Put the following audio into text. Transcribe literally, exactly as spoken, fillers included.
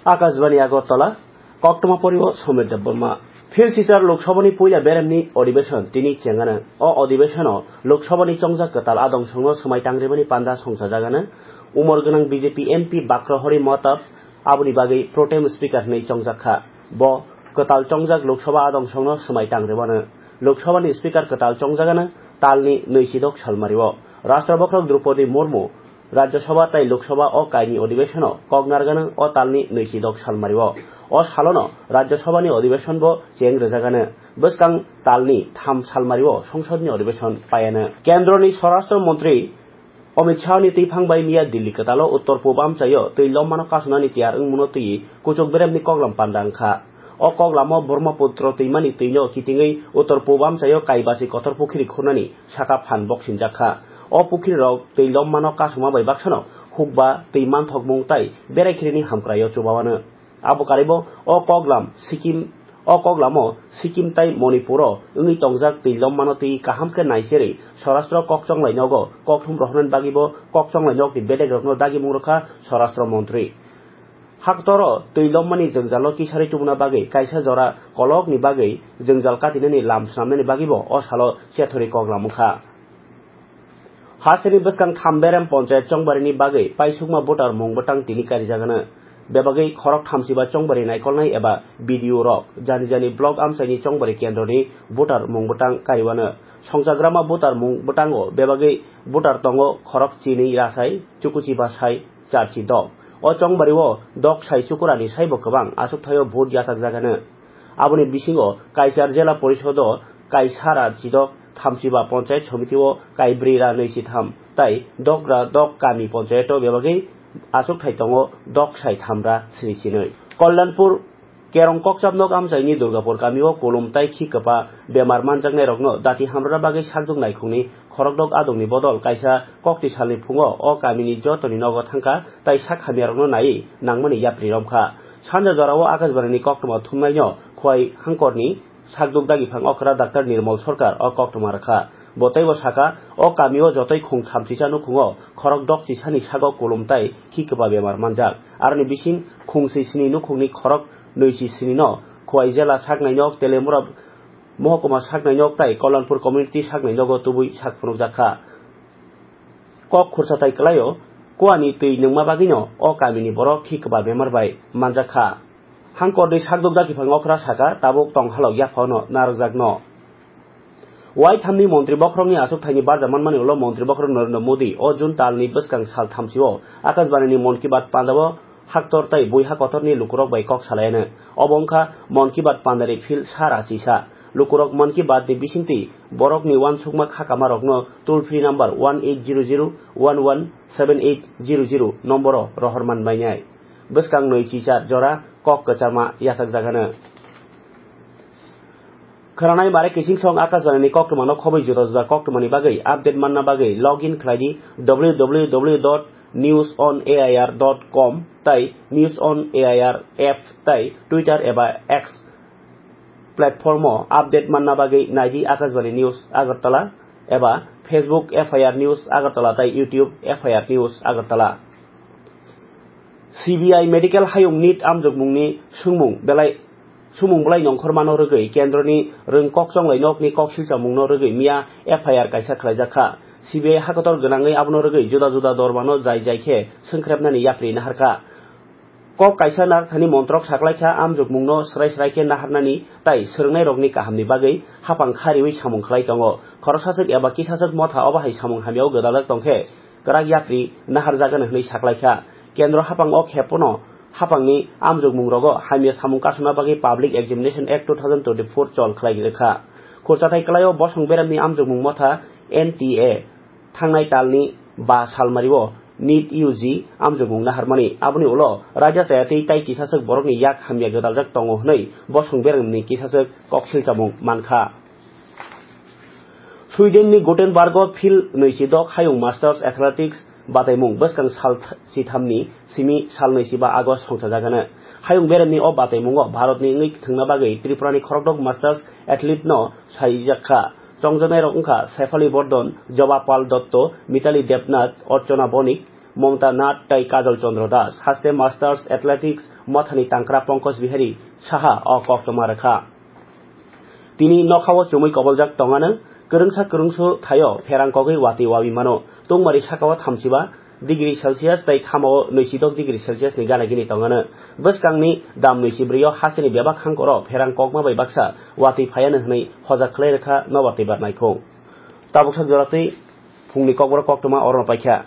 Akashbani Agartala, koktwma poribo Somir Debbarma. Phil Silchar Lok Sabhani puila beremni odibeshon tini chengano. O odibeshono Lok Sabhani chongjak kwtal adong songno swmai tangrimani panda songsajagano. Umor gwnang B J P M P Bakra Hari Mahtab aboni bagwi pro tem speaker hwnwi chongjak kha. Bo kwtal chongjak Lok Sabha adong songno swmai tangrimano. Lok Sabhani speaker kwtal chongjagano talni nwisidok salmario. Rashtra Bokhorok Droupadi Murmu Rajya Sabha tei Lok Sabha o kaini odibeshono kok narwgano o talni nwisidok salmario. O salono Rajya Sabhani odibeshonbo cheng rwjagano. Bwskang talni tham salmario songsodni odibeshon paiano. Kendroni Swarashtra Montri Amit Shahni twiphang bai miya Delhi kwtalo uttor pub amchaio twi lommano kasonani tiyar wngmano twi kuchuk beremni koklam panda wngkha. O koklamo Brahmaputra twimani twino kitingwi uttor pub amchaio kaibasi kotor pukhiri khunani saka phan boksinjak kha. O pukhirirok twi lommano kasuma bai baksano hukba twi manthokmung tai berai khirini hamkraio chubawano. Abo karibo o koklam Sikkim, o koklamo Sikkim tai Manipuro wngwi tongjak twi lommano twi kaham khe naicherwi Swarashtra kokchonglai nogo kokthum rohornani bagwibo kokchonglai nokni bedekrokno dagimung rwkha Swarashtra Montri. Haktoro twi lommani jwngjalo kisari tubuna bagwi kaisa jora kolokni bagwi jwngjal katinani lam swnamnani bagwibo o salo chethori koklam wngkha. Hasteni bwskang Thamberem Ponchayat chongbarini bagwi paisukma voter mung bwtang tini karijagano. Bebagwi khorok thamsiba chongbari naikolnai eba B D O rok jani jani block amchaini chongbari kendroni voter mung bwtang kariwano. Songchagrama voter mung bwtango bebagwi voter tongo khorok chini rasai chukuchi basai charchi dok. O chongbario dok sai chukurani saibo kwbang achukthaio vote yachakjagano. Aboni bisingo Kaichar Jela Porisodo Kaisara chidok thamsiba Ponchayat Somitio kaibrwi ra nwi si tham tai dok ra dok kami Ponchayato bebagwi achukthai tongo dok sai tham ra sri sinwi. Kollanpur Kerong Kokchapnok amchaini Durgapur kamio kulum tai khi kwpa bemar manjaknairokno dati hamrwna bagwi sakduk naikhungni khorokdok adongni bodol kaisa kokti salni phungo o kamini jotoni nogo thangkha tai sak hamyarokno naiwi nangmani yapri romkha. Sanja jorao Akashbanini koktwma thumnaino Khowai Hangkorni sakduk dagiphang okra Doctor Nirmal Sarkar o koktwma rwkha. Bo teibo saka, o kamio jotoi khung thamchisa nukhungo khorok dokchisani sago kulum tai khi kwba bemar manjak. Aroni bising khung swi sini nukhungni khorok nwi chi sini no Khowai jela saknai nok, Telemura mohokuma saknai nok tai Kollanpur community saknai nogo tubui sak phunukjak kha. Kok khursa tai kwlaio, kuani twi nungma bagwino o kamini borok khi kwba bemar bai manjak kha. Hangkorni sakduk dagiphang okra saka, tabuk tong halok yaphano narwkjakno. Waithamni montri bokhorokni achukthaini barja manmani ulo montri bokhorok Narendra Modi o June talni bwskang sal thamsio Akashbanini Mann Ki Baat pandao haktor tai buiha kotorni lukurok bai kok salaiyano. Obo wngkha Mann Ki Baat pandani phil sara chisa. Lukurok Mann Ki Baat ni bisingtwi borokni uansukma khakamarokno toll free number one eight zero zero one one seven eight zero zero nomboro rohor man bainai. Bwskang nwi chichar jora kok kwchama yachakjagano. Khwnanai mare kiching song Akashbanini koktwmano khobwi juda juda koktwmani bagwi update manna bagwi log in khlai di W W W dot news on A I R dot com tai News on A I R app tai Twitter eba X platform o update manna bagwi naidi Akashbani News Agartala eba Facebook F I R News Agartala tai YouTube F I R News Agartala. C B I medical hayung nit amjokmungni sumung belai, sumung belai nongkhormano rwgwi kendroni rwng kokchonglai nokni kok silchamungno rwgwi miya F I R kaisa khlaijak kha. C B I hakotor gwnangwi abono rwgwi juda juda dormano jai jai khe swngkhrepnani yapri naharkha. Kok kaisa narwkthani montrok saklaikha, amjokmungno srai srai khe naharnani tai swrwngnairokni kahamni bagwi haphang khariwi samung khlai tongo. Khoroksachwk eba kisachwk motha obo hai samung hamyao gwdaljak tongkhe kwrak yapri naharjagano hwnwi saklaikha. Kendro haphang o khephano haphangni amjokmungrogo hamya samung kasuna bagwi Public Examination Act two thousand twenty-four chol khlai rwkha. Khurchathai kwlaio bosong beremni amjokmung motha N T A thangnai talni ba salmario nit U G amjokmung naharmani. Aboni ulo raida chayatwi tai kisachwk borokni yak hamya gwdaljak tongo hwnwi bosong beremni kisachwk koksilchamung mankha. Swedenni Gothenburgo phil nwichi dok hayung Masters Athletics bataimung bwskang sal th-, chithamni simi sal nwichiba August songchajagano. Hayung beremni o bataimungo Bharatni wngwi thwngna bagwi Tripurani khorokdok Masters athlete no saijak kha. Chongjanairok wngkha Sefali Bordhan, Joba Pal Dotto, Mitali Debnath, Archana Bonik, Mamta Nath tei Kajol Chandra Das haste Masters Athletics mothani tangkra Pankaj Bihari Saha o koktwma rwkha. Tini nokhao chumui koboljak tongano, kwrwngsa kwrwngsu thaio pherang kogwi watwi wawi mano. Tungmari sakao thamchiba degree Celsius tei thamao nwisidok degree Celsius ni gana gini tongano. Bwskangni dam nwisidbrio hasteni bebak hangkoro pherang kokma bai baksa watwi phaiano hwnwi hojak khlai rwkha nobar tei barnaikhung. Tabuksa joratwi phungni kokborok koktwma orono paikha.